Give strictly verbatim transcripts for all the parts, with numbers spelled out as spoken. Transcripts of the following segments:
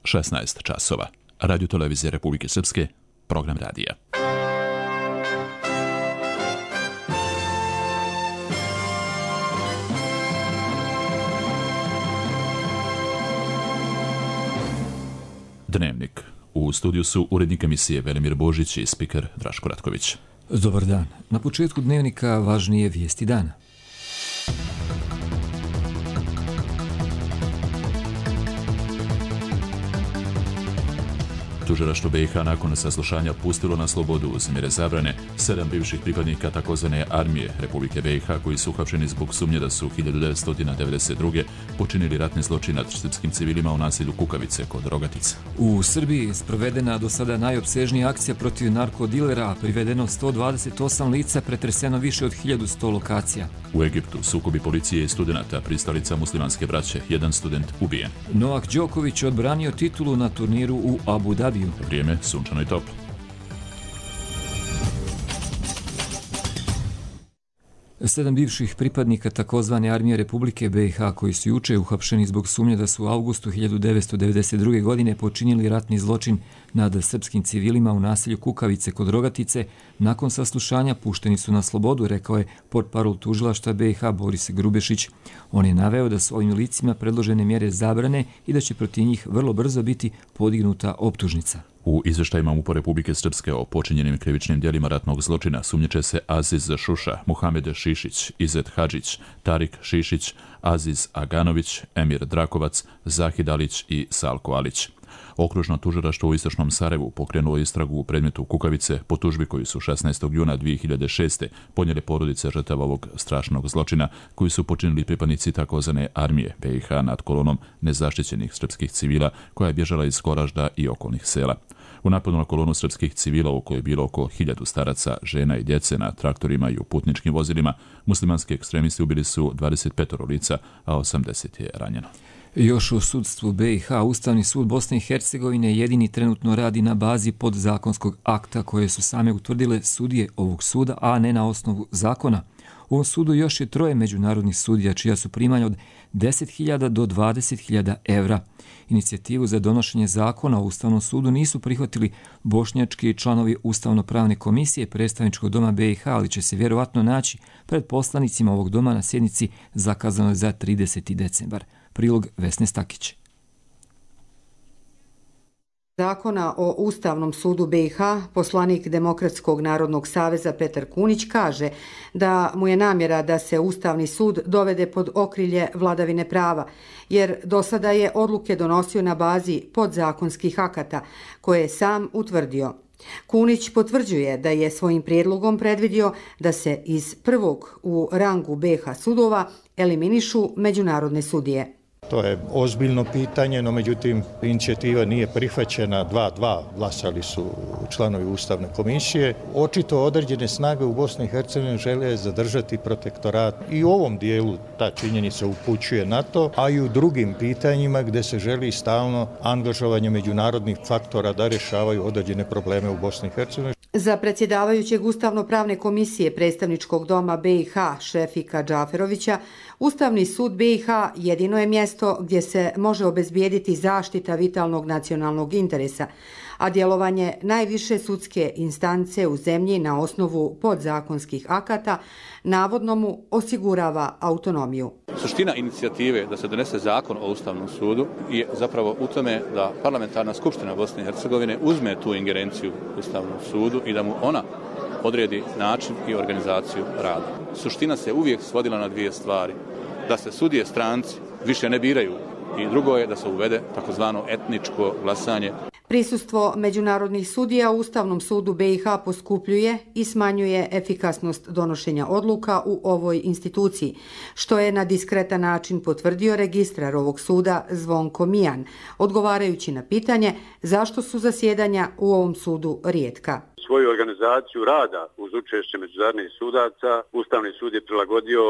šesnaest časova. Radio Televizije Republike Srpske, program radija. Dnevnik. U studiju su urednik emisije Velimir Božić i spiker Draško Ratković. Dobar dan. Na početku dnevnika važnije vijesti dana. Tužilaštvo B i H nakon saslušanja pustilo na slobodu uz mjere zabrane sedam bivših pripadnika takozvane armije Republike B i H koji su uhapšeni zbog sumnje da su hiljadu devetsto devedeset druge. počinili ratni zločin nad srpskim civilima u naselju Kukavice kod Rogatice. U Srbiji sprovedena do sada najopsežnija akcija protiv narkodilera, privedeno sto dvadeset osam lica, pretreseno više od hiljadu sto lokacija. U Egiptu sukobi policije i studenata, pristalica muslimanske braće, jedan student ubijen. Novak Đoković odbranio titulu na turniru u Abu Dhabiju. Vrijeme sunčano i toplo. Sedam bivših pripadnika takozvane armije Republike B i H koji su juče uhapšeni zbog sumnje da su u avgustu hiljadu devetsto devedeset druge. godine počinili ratni zločin nad srpskim civilima u naselju Kukavice kod Rogatice, nakon saslušanja pušteni su na slobodu, rekao je portparol tužilaštva B i H Boris Grubešić. On je naveo da su ovim licima predložene mjere zabrane i da će protiv njih vrlo brzo biti podignuta optužnica. U izveštajima MUP-a Republike Srpske o počinjenim krivičnim djelima ratnog zločina sumnjiče se Aziz Šuša, Muhamed Šišić, Izet Hadžić, Tarik Šišić, Aziz Aganović, Emir Drakovac, Zahid Alić i Salko Alić. Okružno tužilaštvo u istočnom Sarajevu pokrenulo istragu u predmetu Kukavice po tužbi koju su šesnaestog juna dvije hiljade šeste. podnijele porodice žrtava ovog strašnog zločina koji su počinili pripadnici takozvane armije B i H nad kolonom nezaštićenih srpskih civila koja je bježala iz Goražda i okolnih sela. U napadu na kolonu srpskih civila u kojoj je bilo oko hiljadu staraca, žena i djece na traktorima i u putničkim vozilima, muslimanski ekstremisti ubili su dvadeset pet lica, a osamdeset je ranjeno. Još u sudstvu B i H Ustavni sud Bosne i Hercegovine jedini trenutno radi na bazi podzakonskog akta koje su same utvrdile sudije ovog suda, a ne na osnovu zakona. U ovom sudu još je troje međunarodnih sudija čija su primanja od deset hiljada do dvadeset hiljada evra. Inicijativu za donošenje zakona o Ustavnom sudu nisu prihvatili bošnjački članovi Ustavno-pravne komisije predstavničkog doma B i H, ali će se vjerovatno naći pred poslanicima ovog doma na sjednici zakazanoj za trideseti decembar. Prilog Vesne Stakić. Zakona o Ustavnom sudu B i H, poslanik Demokratskog narodnog saveza Petar Kunić kaže da mu je namjera da se Ustavni sud dovede pod okrilje vladavine prava, jer do sada je odluke donosio na bazi podzakonskih akata koje je sam utvrdio. Kunić potvrđuje da je svojim prijedlogom predvidio da se iz prvog u rangu B i H sudova eliminišu međunarodne sudije. To je ozbiljno pitanje, no međutim inicijativa nije prihvaćena, dva dva glasali su članovi Ustavne komisije. Očito određene snage u Bosni i Hercegovini žele zadržati protektorat i u ovom dijelu ta činjenica upućuje na to, a i u drugim pitanjima gdje se želi stalno angažovanje međunarodnih faktora da rješavaju određene probleme u Bosni i Hercegovini. Za predsjedavajućeg Ustavno-pravne komisije predstavničkog doma B i H Šefika Džaferovića, Ustavni sud B i H jedino je mjesto gdje se može obezbijediti zaštita vitalnog nacionalnog interesa, a djelovanje najviše sudske instance u zemlji na osnovu podzakonskih akata navodno mu osigurava autonomiju. Suština inicijative da se donese zakon o Ustavnom sudu je zapravo u tome da Parlamentarna skupština Bosne i Hercegovine uzme tu ingerenciju Ustavnom sudu i da mu ona odredi način i organizaciju rada. Suština se uvijek svodila na dvije stvari. Da se sudije stranci više ne biraju i drugo je da se uvede takozvano etničko glasanje. Prisustvo međunarodnih sudija u Ustavnom sudu B i H poskupljuje i smanjuje efikasnost donošenja odluka u ovoj instituciji, što je na diskretan način potvrdio registrar ovog suda Zvonko Mijan, odgovarajući na pitanje zašto su zasjedanja u ovom sudu rijetka. Svoju organizaciju rada uz učešće međunarodnih sudaca Ustavni sud je prilagodio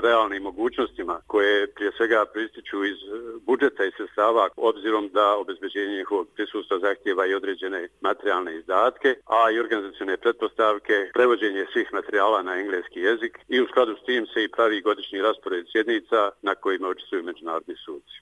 realnim mogućnostima koje prije svega prističu iz budžeta i sredstava, obzirom da obezbeđenje njihovog prisustva zahtjeva i određene materijalne izdatke, a i organizacione pretpostavke, prevođenje svih materijala na engleski jezik i u skladu s tim se i pravi godišnji raspored sjednica na kojima učestvuju međunarodni suci.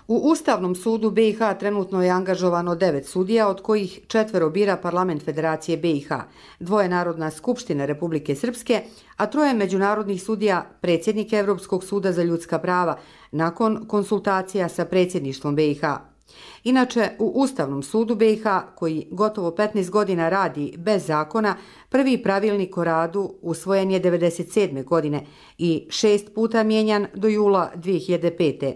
U Ustavnom sudu B i H trenutno je angažovano devet sudija, od kojih četvero bira Parlament Federacije B i H, dvoje Narodna skupština Republike Srpske, a troje međunarodnih sudija predsjednik Evropskog suda za ljudska prava nakon konsultacija sa predsjedništvom B i H. Inače, u Ustavnom sudu B i H, koji gotovo petnaest godina radi bez zakona, prvi pravilnik o radu usvojen je devedeset sedme godine i šest puta mijenjan do jula dvije hiljade pete.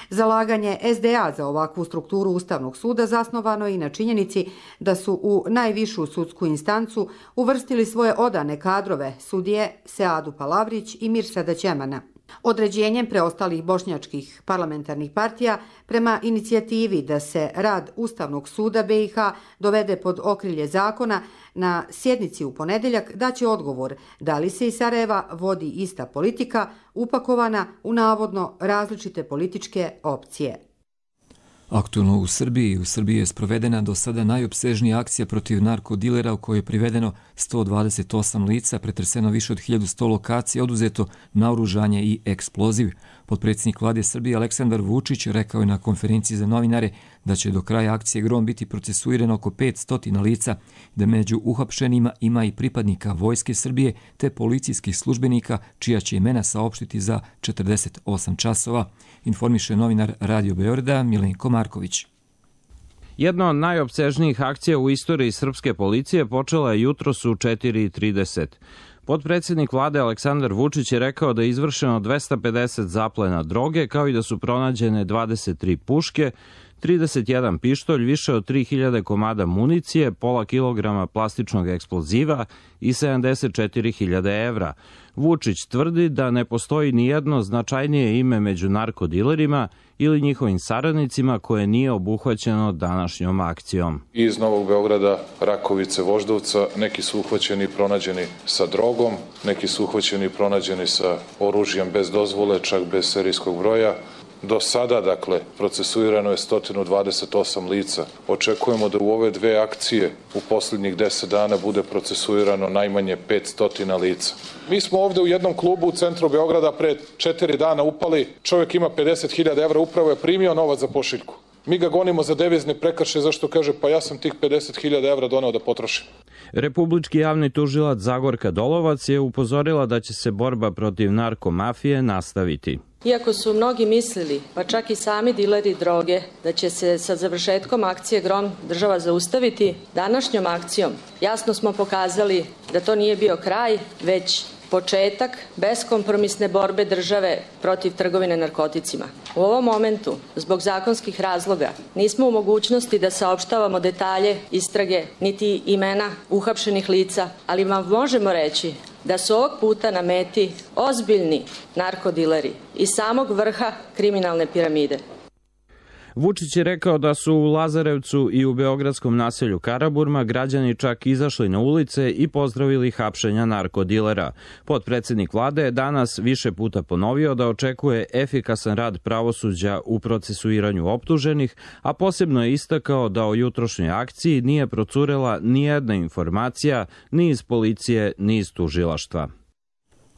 Zalaganje S D A za ovakvu strukturu Ustavnog suda zasnovano je i na činjenici da su u najvišu sudsku instancu uvrstili svoje odane kadrove, sudije Seadu Palavrić i Mirsada Ćemana. Određenjem preostalih bošnjačkih parlamentarnih partija prema inicijativi da se rad Ustavnog suda B i H dovede pod okrilje zakona, na sjednici u ponedeljak daće odgovor da li se iz Sarajeva vodi ista politika upakovana u navodno različite političke opcije. Aktualno u Srbiji. U Srbiji je sprovedena do sada najopsežnija akcija protiv narkodilera u kojoj je privedeno sto dvadeset osam lica, pretreseno više od hiljadu sto lokacija, oduzeto naoružanje i eksploziv. Potpredsjednik vlade Srbije Aleksandar Vučić rekao je na konferenciji za novinare da će do kraja akcije Grom biti procesuirano oko petsto lica, da među uhapšenima ima i pripadnika Vojske Srbije te policijskih službenika čija će imena saopštiti za četrdeset osam časova, informiše novinar Radio Beograda Milenko Marković. Jedna od najopsežnijih akcija u istoriji srpske policije počela je jutros u četiri trideset. Potpredsjednik vlade Aleksandar Vučić je rekao da je izvršeno dvesta pedeset zaplena droge, kao i da su pronađene dvadeset tri puške, trideset jedan pištolj, više od tri hiljade komada municije, pola kilograma plastičnog eksploziva i sedamdeset četiri hiljade evra. Vučić tvrdi da ne postoji nijedno značajnije ime među narkodilerima ili njihovim saradnicima koje nije obuhvaćeno današnjom akcijom. Iz Novog Beograda, Rakovice, Voždovca, neki su uhvaćeni i pronađeni sa drogom, neki su uhvaćeni i pronađeni sa oružjem bez dozvole, čak bez serijskog broja. Do sada, dakle, procesuirano je sto dvadeset osam lica. Očekujemo da u ove dve akcije u posljednjih deset dana bude procesuirano najmanje petsto lica. Mi smo ovde u jednom klubu u centru Beograda pre četiri dana upali, čovjek ima pedeset hiljada evra, upravo je primio novac za pošiljku. Mi ga gonimo za devizne prekršaje, zašto kaže pa ja sam tih pedeset hiljada evra doneo da potrošim. Republički javni tužilac Zagorka Dolovac je upozorila da će se borba protiv narkomafije nastaviti. Iako su mnogi mislili, pa čak i sami dileri droge, da će se sa završetkom akcije Grom država zaustaviti, današnjom akcijom jasno smo pokazali da to nije bio kraj, već početak beskompromisne borbe države protiv trgovine narkoticima. U ovom momentu, zbog zakonskih razloga, nismo u mogućnosti da saopštavamo detalje istrage niti imena uhapšenih lica, ali vam možemo reći da su ovog puta na meti ozbiljni narkodileri iz samog vrha kriminalne piramide. Vučić je rekao da su u Lazarevcu i u beogradskom naselju Karaburma građani čak izašli na ulice i pozdravili hapšenja narkodilera. Potpredsjednik vlade je danas više puta ponovio da očekuje efikasan rad pravosuđa u procesuiranju optuženih, a posebno je istakao da o jutrošnjoj akciji nije procurela nijedna informacija ni iz policije ni iz tužilaštva.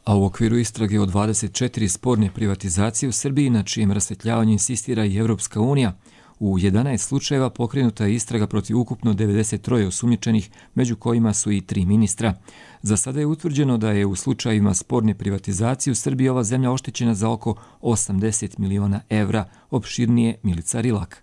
A u okviru istrage od dvadeset četiri sporne privatizacije u Srbiji, na čijem rasvetljavanje insistira i Evropska unija, u jedanaest slučajeva pokrenuta je istraga protiv ukupno devedeset tri osumnjičenih, među kojima su i tri ministra. Za sada je utvrđeno da je u slučajevima sporne privatizacije u Srbiji ova zemlja oštećena za oko osamdeset miliona evra, opširnije Milica Rilak.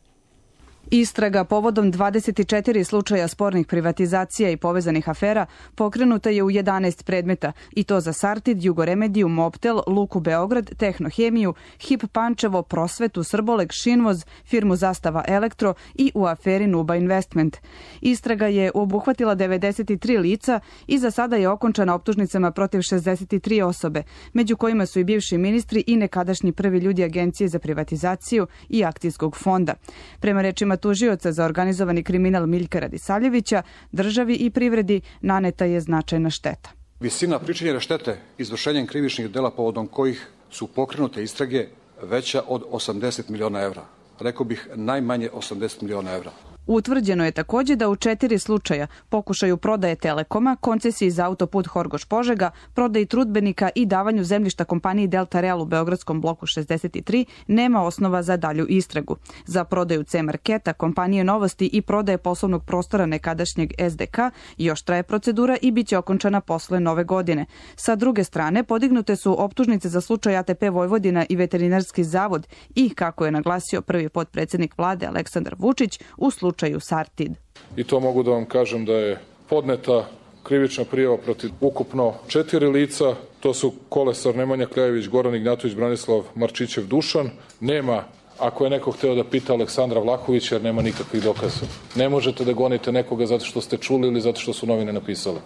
Istraga povodom dvadeset četiri slučaja spornih privatizacija i povezanih afera pokrenuta je u jedanaest predmeta, i to za Sartid, Jugoremediju, Mobtel, Luku Beograd, Tehnohemiju, Hip Pančevo, Prosvetu, Srboleg, Šinvoz, firmu Zastava Elektro i u aferi Nuba Investment. Istraga je obuhvatila devedeset tri lica i za sada je okončana optužnicama protiv šezdeset tri osobe, među kojima su i bivši ministri i nekadašnji prvi ljudi Agencije za privatizaciju i Akcijskog fonda. Prema rečima tužioca za organizovani kriminal Miljka Radisavljevića, državi i privredi naneta je značajna šteta. Visina pričinjene štete izvršenjem krivičnih dela povodom kojih su pokrenute istrage veća od osamdeset miliona evra. Rekao bih najmanje osamdeset miliona evra. Utvrđeno je također da u četiri slučaja pokušaju prodaje Telekoma, koncesiji za autoput Horgoš-Požega, prodaji trudbenika i davanju zemljišta kompaniji Delta Real u Beogradskom bloku šezdeset tri nema osnova za dalju istragu. Za prodaju C-Marketa, kompanije Novosti i prodaje poslovnog prostora nekadašnjeg S D K još traje procedura i bit će okončana posle nove godine. Sa druge strane, podignute su optužnice za slučaj A T P Vojvodina i Veterinarski zavod i, kako je naglasio prvi potpredsjednik vlade Aleksandar Vučić, u slučaju Sartid. I to mogu da vam kažem da je podneta krivična prijava protiv ukupno četiri lica. To su Kolesar Nemanja Kljajević, Goran Ignjatović, Branislav Marčićev, Dušan. Nema, ako je neko hteo da pita, Aleksandra Vlahovića, jer nema nikakvih dokaza. Ne možete da gonite nekoga zato što ste čuli ili zato što su novine napisale.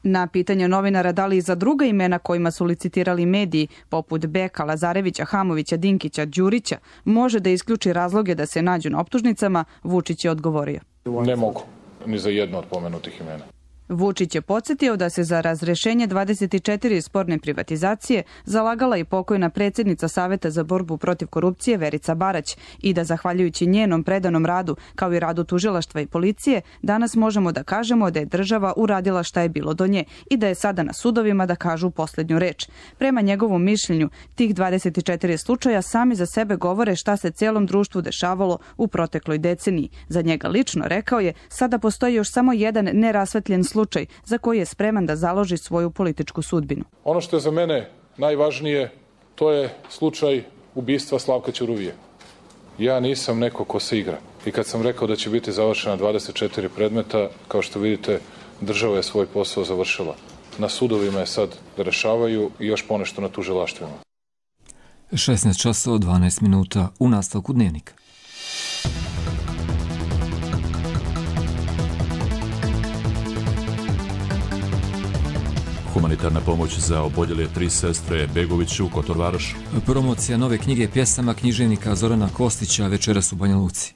Na pitanje novinara da li i za druga imena kojima su licitirali mediji, poput Beka, Lazarevića, Hamovića, Dinkića, Đurića, može da isključi razloge da se nađu na optužnicama, Vučić je odgovorio. Ne mogu, ni za jedno od pomenutih imena. Vučić je podsjetio da se za razrešenje dvadeset četiri sporne privatizacije zalagala i pokojna predsjednica Saveta za borbu protiv korupcije Verica Barać i da zahvaljujući njenom predanom radu, kao i radu tužilaštva i policije, danas možemo da kažemo da je država uradila šta je bilo do nje i da je sada na sudovima da kažu posljednju reč. Prema njegovom mišljenju, tih dvadeset četiri slučaja sami za sebe govore šta se cijelom društvu dešavalo u protekloj deceniji. Za njega lično, rekao je, sada postoji još samo jedan nerasvetljen slučaj slučaj za koji je spreman da založi svoju političku sudbinu. Ono što je za mene najvažnije, to je slučaj ubistva Slavka Ćuruvije. Ja nisam neko ko se igra. I kad sam rekao da će biti završena dvadeset četiri predmeta, kao što vidite, država je svoj posao završila. Na sudovima je sad da rešavaju i još ponešto na tužilaštvima. šesnaest časova dvanaest minuta u nastavku dnevnika. Humanitarna pomoć za oboljele tri sestre Begović u Kotorvarošu. Promocija nove knjige pjesama književnika Zorana Kostića večeras u Banja Luci.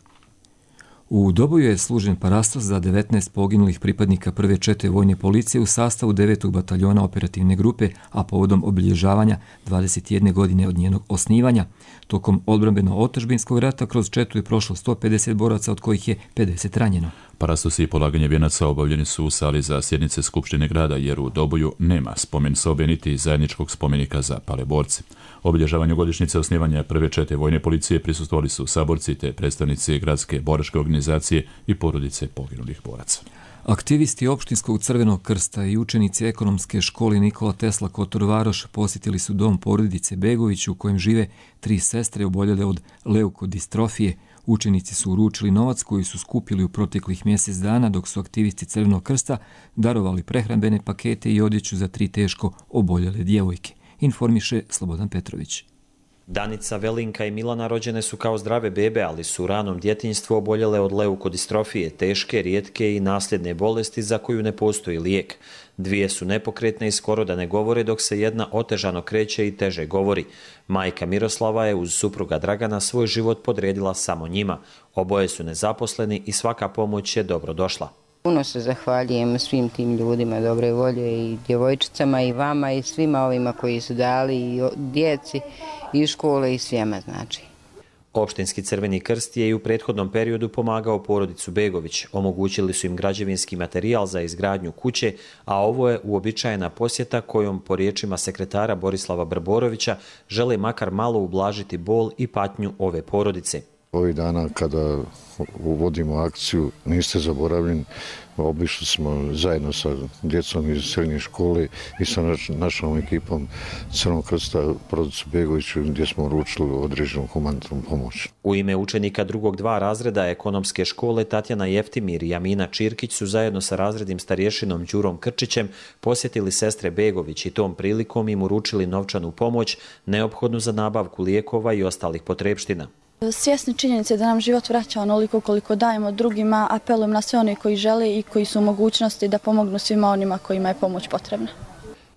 U Doboju je služen parastos za devetnaest poginulih pripadnika prve čete vojne policije u sastavu devetog bataljona operativne grupe, a povodom obilježavanja dvadeset jedne godine od njenog osnivanja. Tokom odbrambeno-otadžbinskog rata kroz četu je prošlo sto pedeset boraca, od kojih je pedeset ranjeno. Parastosi i polaganje vijenaca obavljeni su u sali za sjednice Skupštine grada, jer u Doboju nema spomen sobe niti zajedničkog spomenika za pale borce. Obilježavanju godišnjice osnivanja prve čete vojne policije prisustvovali su saborci te predstavnici gradske boračke organizacije i porodice poginulih boraca. Aktivisti Opštinskog crvenog krsta i učenici ekonomske škole Nikola Tesla Kotorvaroš posjetili su dom porodice Begović u kojem žive tri sestre oboljele od leukodistrofije. Učenici su uručili novac koji su skupili u proteklih mjesec dana, dok su aktivisti Crvenog krsta darovali prehrambene pakete i odjeću za tri teško oboljele djevojke, informiše Slobodan Petrović. Danica, Velinka i Milana rođene su kao zdrave bebe, ali su u ranom djetinjstvu oboljele od leukodistrofije, teške, rijetke i nasljedne bolesti za koju ne postoji lijek. Dvije su nepokretne i skoro da ne govore, dok se jedna otežano kreće i teže govori. Majka Miroslava je uz supruga Dragana svoj život podredila samo njima. Oboje su nezaposleni i svaka pomoć je dobro došla. Puno se zahvaljujem svim tim ljudima dobre volje i djevojčicama i vama i svima ovima koji su dali i djeci i škole i svijema znači. Opštinski Crveni krst je i u prethodnom periodu pomagao porodicu Begović. Omogućili su im građevinski materijal za izgradnju kuće, a ovo je uobičajena posjeta kojom, po riječima sekretara Borislava Brborovića, žele makar malo ublažiti bol i patnju ove porodice. Ovih dana kada uvodimo akciju Niste zaboravljeni, obišli smo zajedno sa djecom iz srednje škole i sa našom ekipom Crvenog krsta porodicu Begoviću, gdje smo uručili određenu humanitarnu pomoć. U ime učenika drugog dva razreda ekonomske škole Tatjana Jeftimir i Amina Čirkić su zajedno sa razrednim starješinom Đurom Krčićem posjetili sestre Begović i tom prilikom im uručili novčanu pomoć neophodnu za nabavku lijekova i ostalih potrepština. Svjesni činjenice da nam život vraća onoliko koliko dajemo drugima, apelujem na sve one koji žele i koji su u mogućnosti da pomognu svima onima kojima je pomoć potrebna.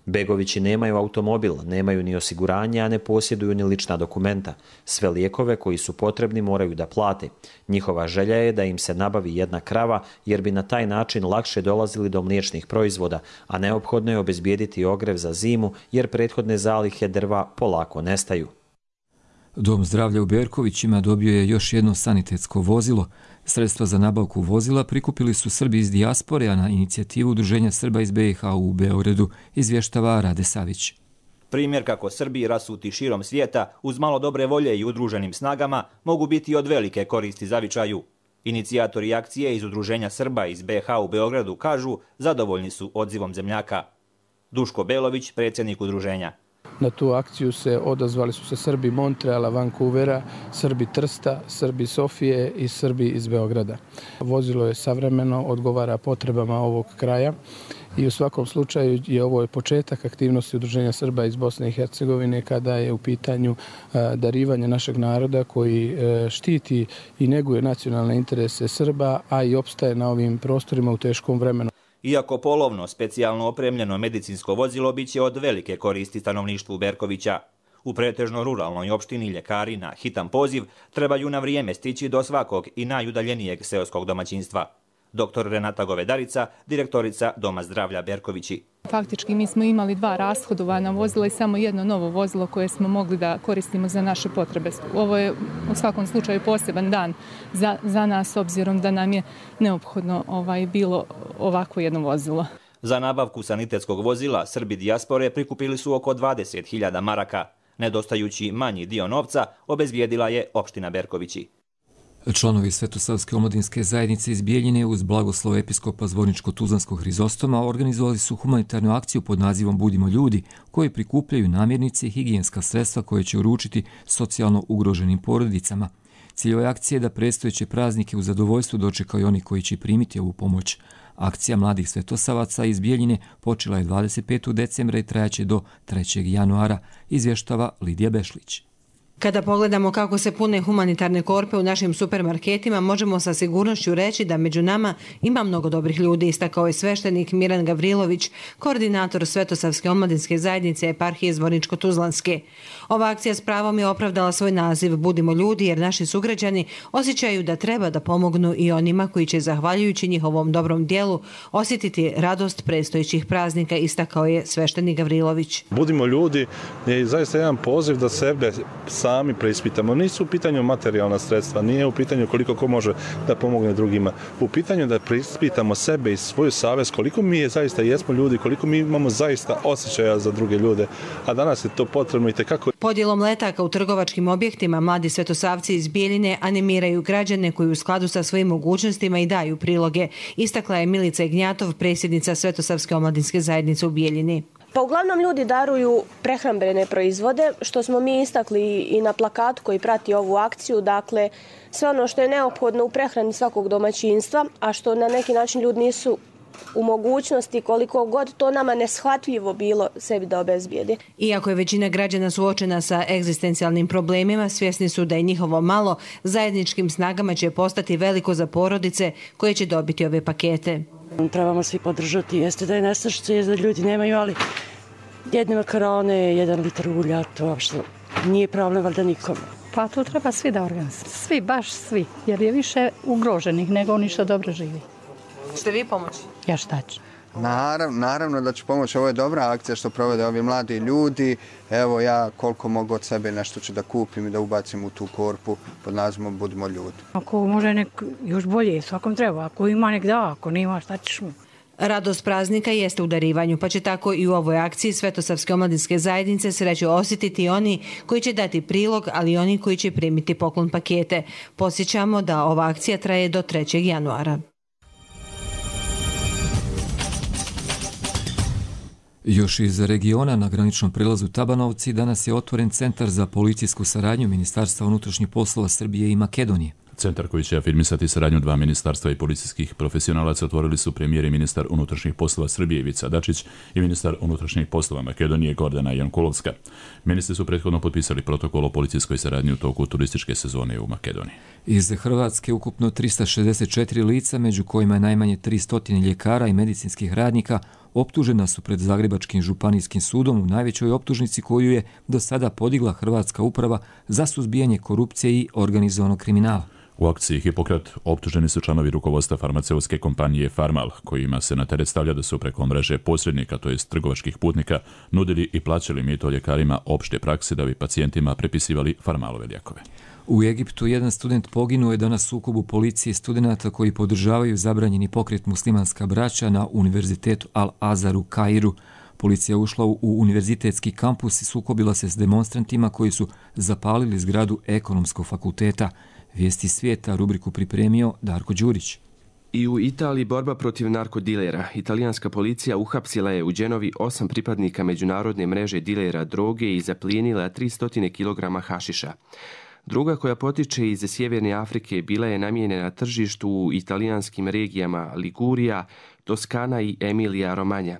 Begovići nemaju automobil, nemaju ni osiguranje, a ne posjeduju ni lična dokumenta. Sve lijekove koji su potrebni moraju da plate. Njihova želja je da im se nabavi jedna krava, jer bi na taj način lakše dolazili do mliječnih proizvoda, a neophodno je obezbijediti ogrev za zimu, jer prethodne zalihe drva polako nestaju. Dom zdravlja u Berkovićima dobio je još jedno sanitetsko vozilo. Sredstva za nabavku vozila prikupili su Srbi iz dijaspore, a na inicijativu Udruženja Srba iz B i H u Beogradu, izvještava Rade Savić. Primjer kako Srbi rasuti širom svijeta uz malo dobre volje i udruženim snagama mogu biti od velike koristi zavičaju. Inicijatori akcije iz Udruženja Srba iz B H u Beogradu kažu zadovoljni su odzivom zemljaka. Duško Belović, predsjednik udruženja. Na tu akciju se odazvali su se Srbi Montreala, Vancouvera, Srbi Trsta, Srbi Sofije i Srbi iz Beograda. Vozilo je savremeno, odgovara potrebama ovog kraja i u svakom slučaju je ovo početak aktivnosti Udruženja Srba iz Bosne i Hercegovine kada je u pitanju darivanje našeg naroda koji štiti i neguje nacionalne interese Srba, a i opstaje na ovim prostorima u teškom vremenu. Iako polovno, specijalno opremljeno medicinsko vozilo biće od velike koristi stanovništvu Berkovića. U pretežno ruralnoj opštini ljekari na hitan poziv trebaju na vrijeme stići do svakog i najudaljenijeg seoskog domaćinstva. Doktor Renata Govedarica, direktorica Doma zdravlja Berkovići. Faktički mi smo imali dva rashodovana vozila i samo jedno novo vozilo koje smo mogli da koristimo za naše potrebe. Ovo je u svakom slučaju poseban dan za, za nas, obzirom da nam je neophodno ovaj, bilo ovako jedno vozilo. Za nabavku sanitetskog vozila Srbi dijaspore prikupili su oko dvadeset hiljada maraka. Nedostajući manji dio novca obezbijedila je opština Berkovići. Članovi Svetosavske omladinske zajednice iz Bijeljine uz blagoslov episkopa Zvorničko-Tuzlanskog Hrizostoma organizovali su humanitarnu akciju pod nazivom Budimo ljudi, koji prikupljaju namirnice i higijenska sredstva koje će uručiti socijalno ugroženim porodicama. Cilj ove akcije je da predstojeće praznike u zadovoljstvu dočekaju oni koji će primiti ovu pomoć. Akcija mladih svetosavaca iz Bijeljine počela je dvadeset petog decembra i trajaće do trećeg januara, izvještava Lidija Bešlić. Kada pogledamo kako se pune humanitarne korpe u našim supermarketima, možemo sa sigurnošću reći da među nama ima mnogo dobrih ljudi, istakao je sveštenik Miran Gavrilović, koordinator Svetosavske omladinske zajednice eparhije Zvorničko-Tuzlanske. Ova akcija s pravom je opravdala svoj naziv Budimo ljudi, jer naši sugrađani osjećaju da treba da pomognu i onima koji će, zahvaljujući njihovom dobrom dijelu, osjetiti radost predstojećih praznika, istakao je sveštenik Gavrilović. Budimo ljudi je zaista jedan poziv da sebe sami preispitamo. Nisu u pitanju materijalna sredstva, nije u pitanju koliko ko može da pomogne drugima. U pitanju da preispitamo sebe i svoju savest, koliko mi je zaista jesmo ljudi, koliko mi imamo zaista osjećaja za druge ljude. A danas je to potrebno i tekako. Podjelom letaka u trgovačkim objektima mladi svetosavci iz Bijeljine animiraju građane koji u skladu sa svojim mogućnostima i daju priloge, istakla je Milica Ignjatov, predsjednica Svetosavske omladinske zajednice u Bijeljini. Pa uglavnom ljudi daruju prehrambene proizvode, što smo mi istakli i na plakatu koji prati ovu akciju, dakle sve ono što je neophodno u prehrani svakog domaćinstva, a što na neki način ljudi nisu u mogućnosti, koliko god to nama neshvatljivo bilo, sebi da obezbijede. Iako je većina građana suočena sa egzistencijalnim problemima, svjesni su da je njihovo malo zajedničkim snagama će postati veliko za porodice koje će dobiti ove pakete. Trebamo svi podržati, jeste da je nestašice, jeste da ljudi nemaju, ali jedne makarone, jedan litar ulja, to uopšte nije problem valjda nikom. Pa to treba svi da organizuju, svi, baš svi, jer je više ugroženih nego oni što dobro živi. Ste vi pomoći? Ja šta ću? Naravno, naravno da ću pomoći. Ovo je dobra akcija što provode ovi mladi ljudi. Evo ja koliko mogu od sebe nešto ću da kupim i da ubacim u tu korpu pod nazivom Budimo ljudi. Ako može nek još bolje, svakom treba. Ako ima nek da, ako nima šta ćeš mu. Radost praznika jeste u darivanju, pa će tako i u ovoj akciji Svetosavske omladinske zajednice sreću osjetiti oni koji će dati prilog, ali i oni koji će primiti poklon pakete. Podsjećamo da ova akcija traje do trećeg januara. Još iz regiona na graničnom prelazu Tabanovci danas je otvoren Centar za policijsku saradnju Ministarstva unutrašnjih poslova Srbije i Makedonije. Centar koji će afirmisati saradnju dva ministarstva i policijskih profesionalaca otvorili su premijer i ministar unutrašnjih poslova Srbije Ivica Dačić i ministar unutrašnjih poslova Makedonije Gordana Jankulovska. Ministri su prethodno potpisali protokol o policijskoj saradnji u toku turističke sezone u Makedoniji. Iz Hrvatske ukupno trista šezdeset četiri lica, među kojima je najmanje tristo ljekara i medicinskih radnika, optužena su pred Zagrebačkim županijskim sudom u najvećoj optužnici koju je do sada podigla Hrvatska uprava za suzbijanje korupcije i organizovanog kriminala. U akciji Hipokrat optuženi su članovi rukovodstva farmaceutske kompanije Farmal, kojima se na teret stavlja da su preko mreže posrednika, to jest trgovačkih putnika, nudili i plaćali mito ljekarima opšte prakse da bi pacijentima prepisivali Farmalove lijekove. U Egiptu jedan student poginuo je danas u sukobu policije i studenata koji podržavaju zabranjeni pokret muslimanska braća na Univerzitetu Al-Azhar u Kairu. Policija ušla u univerzitetski kampus i sukobila se s demonstrantima koji su zapalili zgradu Ekonomskog fakulteta. Vijesti svijeta rubriku pripremio Darko Đurić. I u Italiji borba protiv narkodilera. Italijanska policija uhapsila je u Genovi osam pripadnika međunarodne mreže dilera droge i zaplijenila tristo kilograma hašiša. Druga koja potiče iz Sjeverne Afrike bila je namijenjena tržištu u italijanskim regijama Ligurija, Toskana i Emilija Romanja.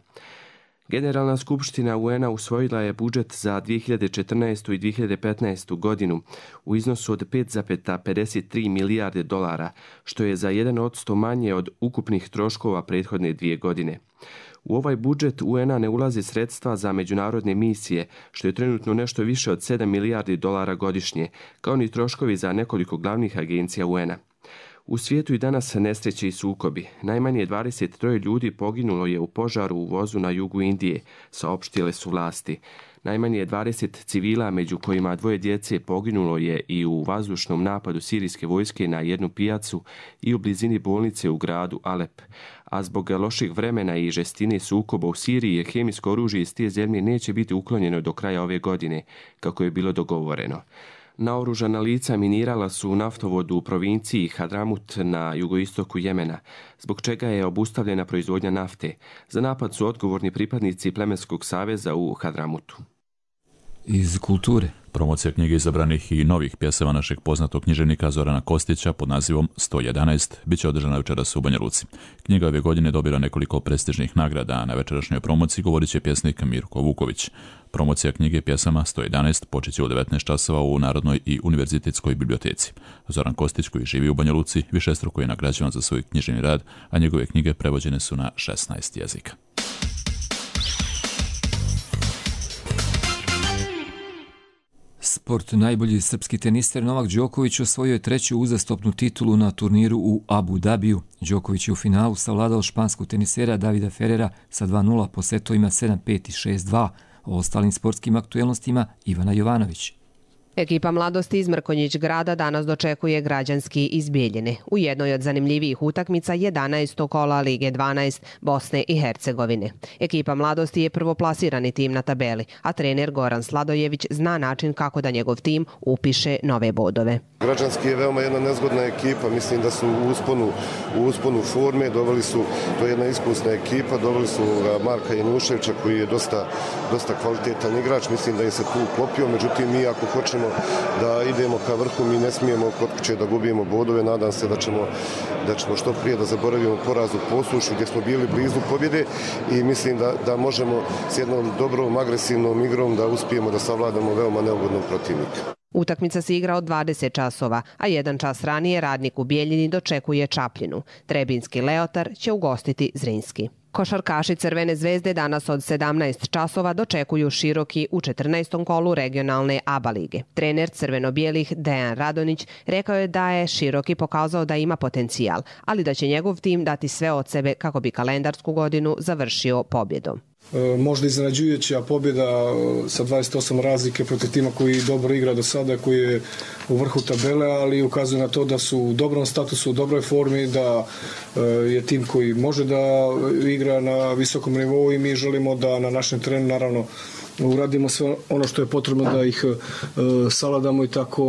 Generalna skupština U N A usvojila je budžet za dvije hiljade četrnaestu. i dvije hiljade petnaestu. godinu u iznosu od pet zarez pedeset tri milijarde dolara, što je za jedan posto manje od ukupnih troškova prethodne dvije godine. U ovaj budžet U N A ne ulaze sredstva za međunarodne misije, što je trenutno nešto više od sedam milijardi dolara godišnje, kao ni troškovi za nekoliko glavnih agencija U N A. U svijetu i danas nesreće i sukobi. Najmanje dvadeset tri ljudi poginulo je u požaru u vozu na jugu Indije, saopštile su vlasti. Najmanje dvadeset civila, među kojima dvoje djece, poginulo je i u vazdušnom napadu sirijske vojske na jednu pijacu i u blizini bolnice u gradu Alep. A zbog loših vremena i žestine sukoba u Siriji, hemijsko oružje iz te zemlje neće biti uklonjeno do kraja ove godine, kako je bilo dogovoreno. Naoružana lica minirala su u naftovodu u provinciji Hadramut na jugoistoku Jemena, zbog čega je obustavljena proizvodnja nafte. Za napad su odgovorni pripadnici Plemenskog saveza u Hadramutu. Iz kulture. Promocija knjige izabranih i novih pjesama našeg poznatog književnika Zorana Kostića pod nazivom sto jedanaest bit će održana večeras u Banja Luci. Knjiga ove godine dobila nekoliko prestižnih nagrada, a na večerašnjoj promociji govorit će pjesnik Mirko Vuković. Promocija knjige pjesama sto jedanaest počeće u devetnaest časova u Narodnoj i univerzitetskoj biblioteci. Zoran Kostić, koji živi u Banja Luci, višestruko je nagrađivan za svoj književni rad, a njegove knjige prevođene su na šesnaest jezika. Sport. Najbolji srpski teniser Novak Đoković osvojio je treću uzastopnu titulu na turniru u Abu Dabiju. Đoković je u finalu savladao španskog tenisera Davida Ferrera sa dva nula po setovima sedam pet i šest dva. O ostalim sportskim aktuelnostima Ivana Jovanović. Ekipa Mladosti iz Mrkonjić grada danas dočekuje Građanski iz Bijeljine u jednoj od zanimljivijih utakmica jedanaestog kola Lige dvanaest Bosne i Hercegovine. Ekipa Mladosti je prvoplasirani tim na tabeli, a trener Goran Sladojević zna način kako da njegov tim upiše nove bodove. Građanski je veoma jedna nezgodna ekipa, mislim da su u usponu, u usponu forme, doveli su, to je jedna iskusna ekipa, doveli su Marka Januševića koji je dosta, dosta kvalitetan igrač, mislim da im se tu uklopio, međutim mi ako hoćemo da idemo ka vrhu, mi ne smijemo kod kuće da gubimo bodove, nadam se da ćemo, da ćemo što prije da zaboravimo poraz u Posušu gdje smo bili blizu pobjede i mislim da, da možemo s jednom dobrom agresivnom igrom da uspijemo da savladamo veoma neugodnog protivnika. Utakmica se igra od dvadeset časova, a jedan čas ranije Radnik u Bijeljini dočekuje Čapljinu. Trebinski Leotar će ugostiti Zrinski. Košarkaši Crvene zvezde danas od sedamnaest časova dočekuju Široki u četrnaestom kolu regionalne A B A lige. Trener crveno-bijelih Dejan Radonić rekao je da je Široki pokazao da ima potencijal, ali da će njegov tim dati sve od sebe kako bi kalendarsku godinu završio pobjedom. Možda iznenađujuća pobjeda sa dvadeset osam razlike protiv tima koji dobro igra do sada, koji je u vrhu tabele, ali ukazuje na to da su u dobrom statusu, u dobroj formi, da je tim koji može da igra na visokom nivou i mi želimo da na našem terenu naravno uradimo sve ono što je potrebno da ih savladamo i tako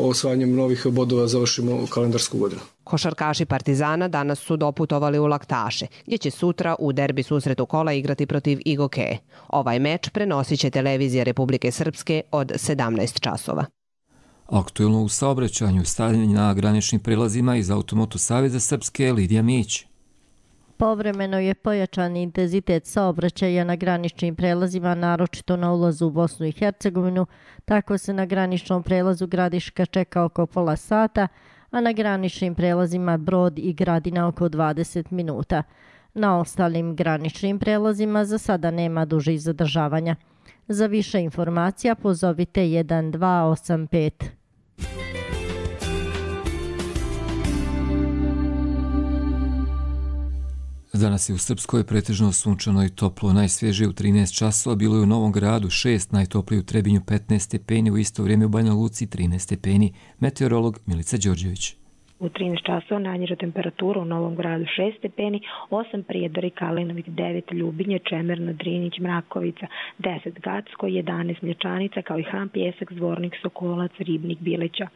osvajanjem novih bodova završimo kalendarsku godinu. Košarkaši Partizana danas su doputovali u Laktaše, gdje će sutra u derbi susretu kola igrati protiv Igoke. Ovaj meč prenosit će televizija Republike Srpske od sedamnaest časova. Aktuelno u saobraćanju, stavljanje na graničnim prelazima iz Automoto Saveza Srpske Lidija Mić. Povremeno je pojačan intenzitet saobraćaja na graničnim prelazima, naročito na ulazu u Bosnu i Hercegovinu. Tako se na graničnom prelazu Gradiška čeka oko pola sata, a na graničnim prelazima Brod i Gradina oko dvadeset minuta. Na ostalim graničnim prelazima za sada nema dužih zadržavanja. Za više informacija pozovite jedan dva osam pet. Danas je u Srpskoj pretežno sunčano i toplo, najsvježije u trinaest časova, bilo je u Novom Gradu šest, najtoplije u Trebinju petnaest stepeni, u isto vrijeme u Banja Luci trinaest stepeni. Meteorolog Milica Đorđević. U trinaest časova najniža temperatura u Novom Gradu šest stepeni, osam Prijedor i Kalinović, devet Ljubinje, Čemerno, Drinić, Mrakovica, deset Gacko, jedanaest Mlječanica, kao i Han, Pjesak, Zvornik, Sokolac, Ribnik, Bileća,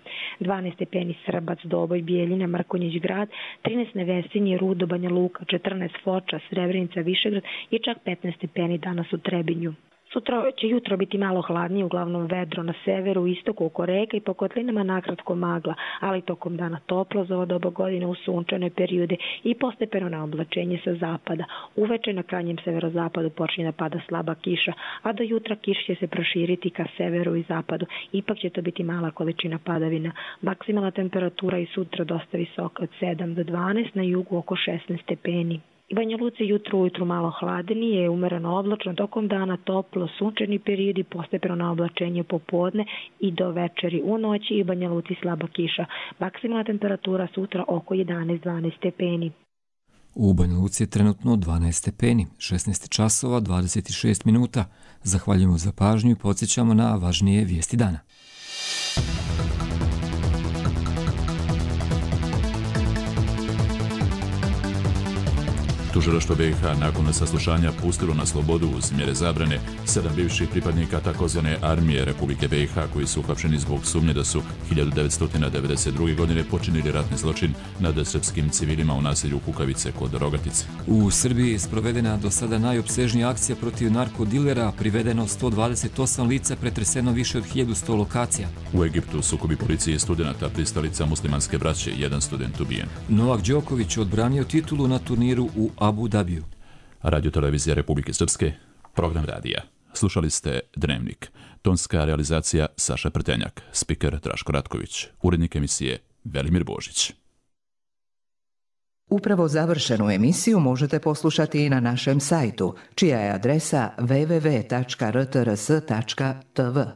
dvanaest stepeni Srbac, Doboj, Bijeljina, Mrkonjić grad, trinaest Nevesinje, Rudo, Banja Luka, četrnaest Foča, Srebrenica, Višegrad i čak petnaest stepeni danas u Trebinju. Sutra će jutro biti malo hladnije, uglavnom vedro na severu, istoku, oko reka i po kotlinama nakratko magla, ali tokom dana toplo za ovo doba godine u sunčane periode i postepeno na oblačenje sa zapada. Uveče na krajnjem severozapadu počinje da pada slaba kiša, a do jutra kiš će se proširiti ka severu i zapadu. Ipak će to biti mala količina padavina. Maksimalna temperatura i sutra dosta visoka od sedam do dvanaest, na jugu oko šesnaest stepeni. U Banja Luci jutro ujutru malo hladnije, umereno oblačno, tokom dana toplo, sunčani periodi, postepeno na oblačenje popodne i do večeri. U noći i u Banja Luci slaba kiša. Maksimalna temperatura sutra oko jedanaest do dvanaest stepeni. U Banja Luci je trenutno dvanaest stepeni, šesnaest časova, dvadeset šest minuta. Zahvaljujemo za pažnju i podsjećamo na važnije vijesti dana. Tužilaštvo B i H nakon saslušanja pustilo na slobodu uz mjere zabrane sedam bivših pripadnika takozvane armije Republike B i H koji su uhapšeni zbog sumnje da su hiljadu devetsto devedeset druge. godine počinili ratni zločin nad srpskim civilima u naselju Kukavice kod Rogatice. U Srbiji je sprovedena do sada najopsežnija akcija protiv narkodilera, privedeno sto dvadeset osam lica, pretreseno više od hiljadu sto lokacija. U Egiptu sukobi policije i studenata, pristalica muslimanske braće, jedan student ubijen. Novak Đoković odbranio titulu na turniru u Abu Dhabiju. Radio televizija Republike Srpske, program radija. Slušali ste Dnevnik. Tonska realizacija Saša Prtenjak, spiker Draško Ratković, urednik emisije Velimir Božić. Upravo završenu emisiju možete poslušati i na našem sajtu, čija je adresa w w w tačka r t r s tačka t v.